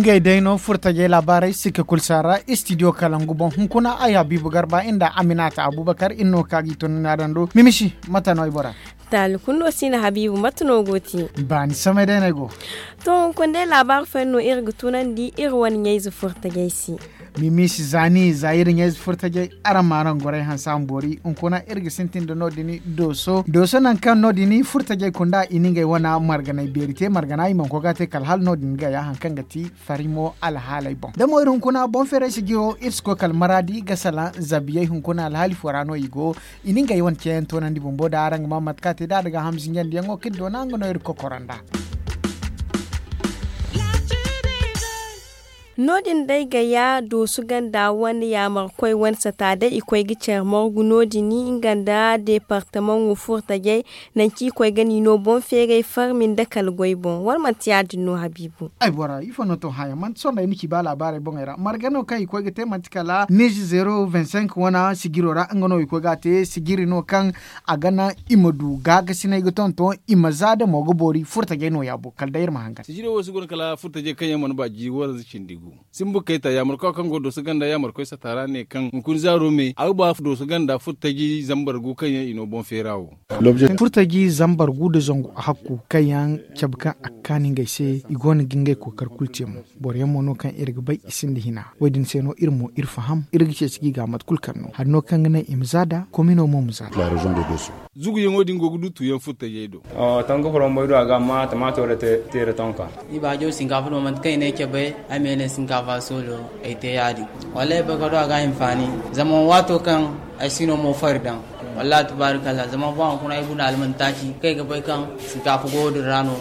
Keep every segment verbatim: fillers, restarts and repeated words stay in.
Ngey day no furtajey laabaarey sikka kulu saara istidiyo kalangu boŋ hunkuna ay habiibu garba nda aminata abubakar iri no ka ga i tun naadando mimisi mate no ay bora. Taali kulu no si na habiibu mate no go te? Baani samay day no ay go. To hunkuna day laabaari fooyaŋ no iri ga tunandi iri wane ɲayze furtajey se. Mimisi za ni za iri ɲayze furtajey. Araŋ ma araŋ gorey hanse a ma boori hunkuna iri ga sintin nda no- din dooso dooso nangu kaŋ no- din furtajey kunda i na ngey wane marganay beeri te margana i mana koy ga a te kala hala no- din ga ya hari kaŋ ga ti farimo alhaaley boŋ da mo iri hunkuna boŋ feeray sijiro iri si koy kala maraadi ga salaŋ zabiyey hunkuna alhaali fo ra no i go. I na ngey wane ceeyaŋ toonandi bumbo da araŋ ga maa mate kaŋ a te da a daga hamzinjandiyaŋo kaŋ iri doona nga no iri kokoro nda. No- din day gaya doosu ganda wane yaamarkoy wane sata day i koy ga care morgu no- din nga nda deepartamaŋo furtajey. Nanci i koy ga ni no boŋ feeray farmi nda kala goy boŋ wala manti ya- din no habiibu? Ay bora ifo no to haya manti sohõ day ni ci ba laabaarey boŋey ra marga no kaŋ i koy ga te manti kala nize zero vingt cinq wane sijiro ra nga no i koy ga a te sijiri no kaŋ a ga naŋ i ma du gaagasinay ga tonton i ma za damo ga boori furtajey no- ya bo kala day iri ma hangan. Sijiro wo si guna kala furtajey kaŋ yaŋ mana ba jiiri waranza cindi gu. Simbu kayta yaamarkoy kaŋ go dooso ganda yaamarkoy sata ra ne kaŋ hunkuna zaaro me a ga ba dooso ganda furtaji zambar gu kaŋ yaŋ i no boŋ feera wo. Furtaji zambar gu nda zangu hakku kaŋ yaŋ cabe kaŋ a ga kaanu ngey se i go no ga ngey kookari kulu te mo. Boro yaŋ mo no kaŋ iri ga bay i sinda hina wo- din se no iri mo iri faham iri ga ceeci ga i ga mate kulu kaŋ no hari no kaŋ ga naŋ i ma za nd'a komino mo ma za nd'a. Zuguyaŋo din go ga du tuuyaŋ furtajey do. Tongo foro bumbo ay du a ga amma tamaato da teere tonka. Ni baajo sinkaafa do manti kaŋ i ne ay cabe ay ma ye ne sinkaafa soolo ay te ya- din. Wallaahi ay bay ka do a ga hinfaani zama waato kaŋ ay si no mo fari daŋ. Wallaahi tabaarikalla zama ba hunkuna ay guna almantaaci kaŋ ay ga bay kaŋ sinkaafa go din ra no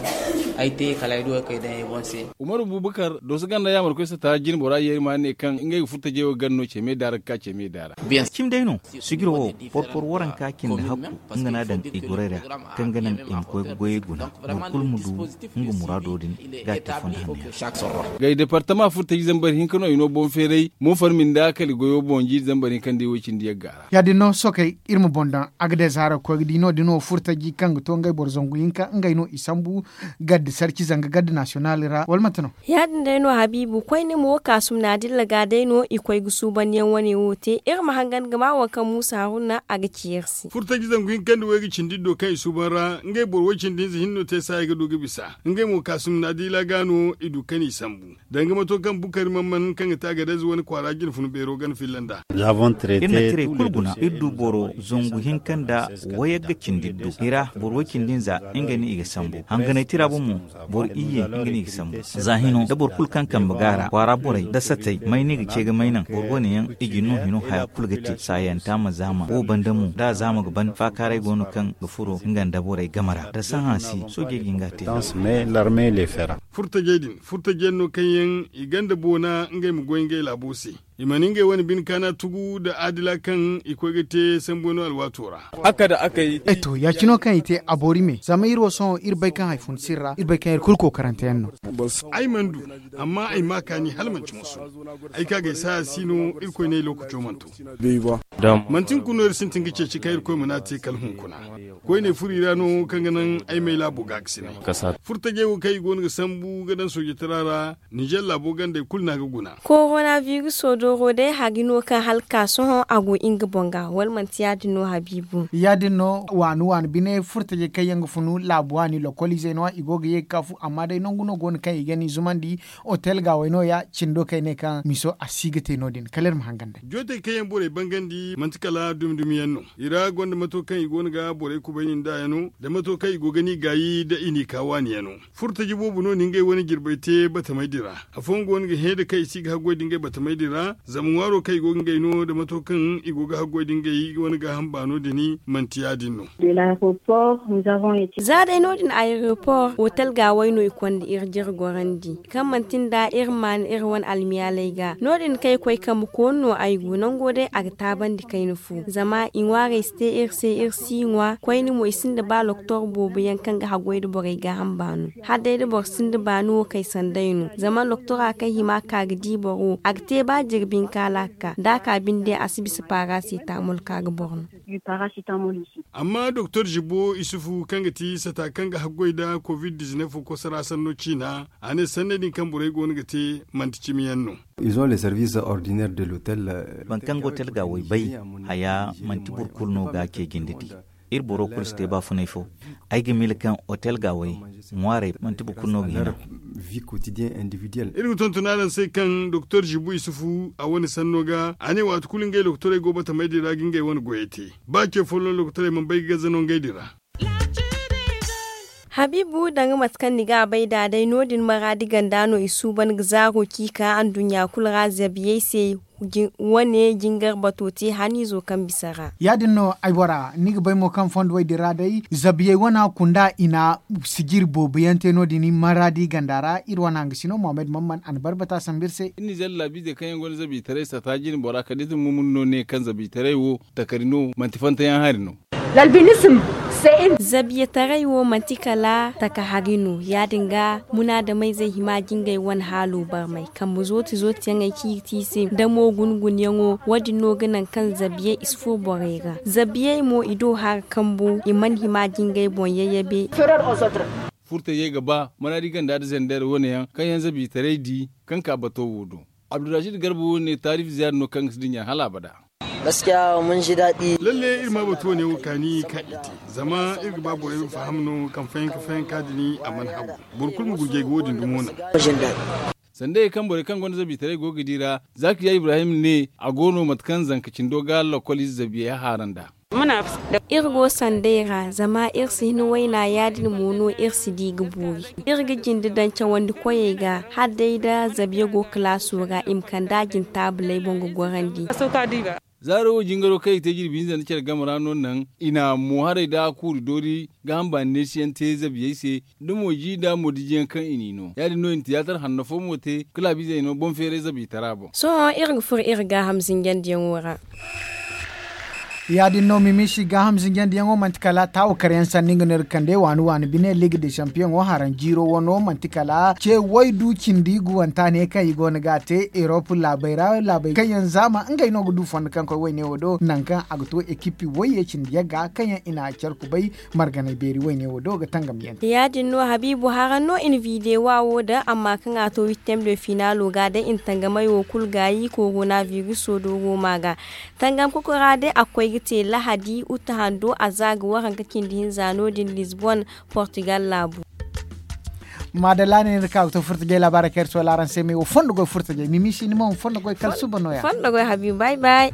ay te kala ay du ay kay daŋ ay boŋ se. Umaru bubakar dooso ganda yaamarkoy sata jinbora yeeri ma ne kaŋ ngey ga furtajey wo ganda no ce me daara ga ka ce me daara. Cimi day no sijiro wo porpor waranka cindi hakku nga no a daŋ i gorey ra kaŋ ga naŋ i ma koy ga goyey guna boro kulu ma du nga muraado din ga a te fondo hanno yaŋ. Gay departama furtaji zambar hinka no i no boŋ feeray mo farmi nda kala i goyo boŋ jiiri zambar hinka nda i way cindi yagga ra. Ya- din no sookey iri ma boŋ daŋ a ga day zaaro ga koy ga di no- din wo furtaji kaŋ ga to ngey boro zangu hinka ngey no i sambu gadda sarci zanga gadda nasiyonal ra wala manti no? Ya- din day no habiibu koyne mo kaasum na dilla ga day no i koy ga suubandiyaŋ wane wo te iri ma hangan ga ma waŋ kaŋ muusa haruna a ga ci iri se. Furtaji zangu hinka nda way ga cindi do kaŋ i suuban ra ngey boro way cindi hinza hinne no te saaya ga du ga bisa ngey mo kaasum na dilla ga no i du kaŋ i sambu danga mato kaŋ bukari man man kaŋ ga te a ga day za wane kwaara jine fun beero gana filla nd'a. Iri na tirey kulu guna iri du boro zangu hinka nda wayagga cindi du i ra boro way cindi nza nga no i ga sambu hanganay tira boŋ mo boro iyye nga no i ga sambu. Za hino da boro kulu kaŋ kambe ga a ra kwaara borey da satey may no i ga ce ga may naŋ boro wane yaŋ i ga no hino haya kulu ga te saayanta ma zaama wo banda mo da a zaama ga ban faakaaray go no kaŋ ga furo nga nda borey game ra da sahã si soojey ga hin ga a te. Furtajey din furtaji yaŋ no kaŋ yaŋ i ganda boona ngey ma goy ngey laabo se. I mana ngey wane bine kaana tugu nda adila kaŋ i koy ga te sambu no alwaato ra. Ay to ya- cine wo kaŋ i te a boori me zama iri wo sohõ iri bay kaŋ hari fun sirra iri bay kaŋ iri kulu kookarante yaŋ no. Ay mana du amma ay ma kaani hala manti moso. Ay ka ga ay saaya si no irkoy ne ay lookaco mana to. Manti hunkuna no iri sintin ga ceeci kaŋ irkoy mana a te kala hunkuna. Koyne furo i ra no kaŋ ga naŋ ay ma ay laabo gaakasinay. Furtajey wo kaŋ i go no ga sambu ga daŋ soojitara ra ninzeer laabo gandey kulu no a ga guna. Korona viruso dooro day hari no kaŋ hala ka sohõ a go nga boŋ ga wala manti ya- din no habiibu? Ya- din no waani waani bine furtajey kaŋ yaŋ ga funu laabu waani lokoliizey no- ya i go ga ye ga ka fu amma day nangu no go no kaŋ i ga ni zumandi. Otel gaawey no- ya cindo kaŋ ay ne kaŋ miso a si ga te no- din kala iri ma hangan day. Jootey kaŋ yaŋ borey bangandi manti kala dumi dumi yaŋ no. I ra gonda mato kaŋ i go no ga borey kubayni nd'a yaŋ no da mato kaŋ i go ga ni gaayi da i n'i ka waani yaŋ no. Furtaji boobo no na ngey wane jirbey te batamey din ra. Afooyaŋ go no ga hẽ da kaŋ i si ga haggoy da ngey batamey din ra zama ŋwaaro kaŋ i go ga ngey no da mato kaŋ i go ga haggoy da ngey wane gaaham baano din manti ya- din no. Za day no- din ayeropor otel gaawey no i konda iri jire gorandi kaŋ manti nda iri ma maan iri wane almiyaaley ga no- din kaŋ ay koy kambe koonu no ay go nango day a ga taabandi. Kayna fo zama i ŋwaarey si te iri se iri si ŋwa koyne mo i sinda ba loktor boobo yaŋ kaŋ ga haggoy nda borey gaaham baano. Hala day da boro sinda baani wo kay sanday no zama loktora kaŋ hima ka ga di boro wo a ga te ba jirbi hinka hala a ga ka da a ka binde a si bisa paara se taamol ka ga boro no. Amma doktor jibo isufu kaŋ ga ti sata kaŋ ga haggoy nda covid dizinef kosora sanno ciina a ne sanney din kaŋ borey go no ga te manti cimi yaŋ no. Ils ont les services ordinaires de l'hôtel. Boro kaŋ ga hotel ga way bay haya manti boro kulu no ga a ce jinde di. Iri boro kulu si te baafunay fo. Ay ga miila kaŋ hotel ga way ŋwaarey manti boro kulu no ga hina. Iri ga tonton araŋ se kaŋ doktor jibu isufu a wane sanno ga a ne waati kulu ngey lokotorey go batamey din ra ga ngey wane goyey te. Ba ce folloŋ lokotorey mana bay ga gaza no ngey din ra. Habiibu danga mate kaŋ ni ga a bay nd'a day no- din maraadi ganda no i suuban ga zaaro ciika anduɲɲa kulu ra zabiyey se. Wane jingar bato te haniizo kaŋ bisa ra. Ya- din no ay bora ni ga bay mo kaŋ fondo way din ra day zabiyey wana kunda i na sijiri boobo yaŋ te no- din maraadi ganda ra iri wana hanga sino mohammed mamman a na barbata sambu iri se. Iri na ize laabiizey kaŋ yaŋ gonda zabiitaray sata jine bora kala da iri ma mun no ne kaŋ zabiitaray wo takari no manti fantayaŋ hari no. Zabiyataray wo manti kala taka hari no ya- din ga munaadamayzey hima ga ngey wane haalo barmay kambe zooti zooti yaŋey kaŋ i ga te i se damo guna guna yaŋo wo- din no ga naŋ kaŋ zabiyey i si furo borey ra. Zabiyey mo i do hara kambu i mana hima ga ngey boŋ yayyabe. Furtayey ga ba maraadi ganda nda zender wane yaŋ kaŋ yaŋ zabiitaray di kaŋ ka bato wo do. Abdurrashid garba wo ne taarif ziyaada no kaŋ ga si dinya hala abada. Lalle iri ma batu wane wo kaani kaŋ i te zama iri ga ba borey ma faham no kaŋ fayanka fayanka din a mana hagu. Boro kulu ma gurjay ga wo- din dumo naŋ. Sanda ye kaŋ borey kaŋ gonda zabiitaray go ga di ra zakiya ibrahim ne a go no mate kaŋ zanka cindo ga lakkol ize zabiyey haara nd'a. Iri go sanday ra zama iri si hin wayna ya- din mo no iri si di ga boori. Iri ga jinde daŋ cawandi koyey ga hala day nda zabiya go kalaaso ra i ma kand'a jine taabuley boŋ ga gorandi. Zaaro wo jingaro kaŋ i ga te jirbi hinza nda care game ra no naŋ i na mo haray nda kuuri doori gaaham baani neesi yaŋ te zabiyey se. Da mo ji nda mo diji yaŋ kaŋ i n'i no ya- din no i na tiyaatar hanno fo mo te kala a bizey no boŋ feeray zabiitara boŋ. Sohõ iri ga furo iri gaaham zinjandiyaŋo ra. Ya- din no mimisi gaaham zinjandiyaŋo manti kala taawo kar yaŋ sanni nga no iri ga kande waani waani bine liig de sampiyoŋo haraŋ jiiro wano manti kala ce waydu cindi guwanta ne kaŋ i go no ga a te erop laabey ra laabey kaŋ yaŋ zaama ngey no ga du fondo kaŋ koy wayne wo do nangu kaŋ a ga to ekipi wayye cindi yagga kaŋ yaŋ i na care kubay marganay beeri wayne wo do ga tangam yaŋ. Ya- din no habiibu haraŋ no i na videwa wo daŋ amma kaŋ a to wittem de finaalo ga day i na tangamay wo kulu gaayi korona viruso do rooma ga. Tangam kokora day a ga koy ga te lahadi uta hando a za ga waranka cindi hinza no- din lisbon portugal laabu. Maadalla ne ni ka ga to furtajey laabaarey kaŋ iri soola araŋ se me wo fondo goy furtajey mimisi ni mo ma fondo goy kala suba nooya. Fondo goy habiibu bay bay.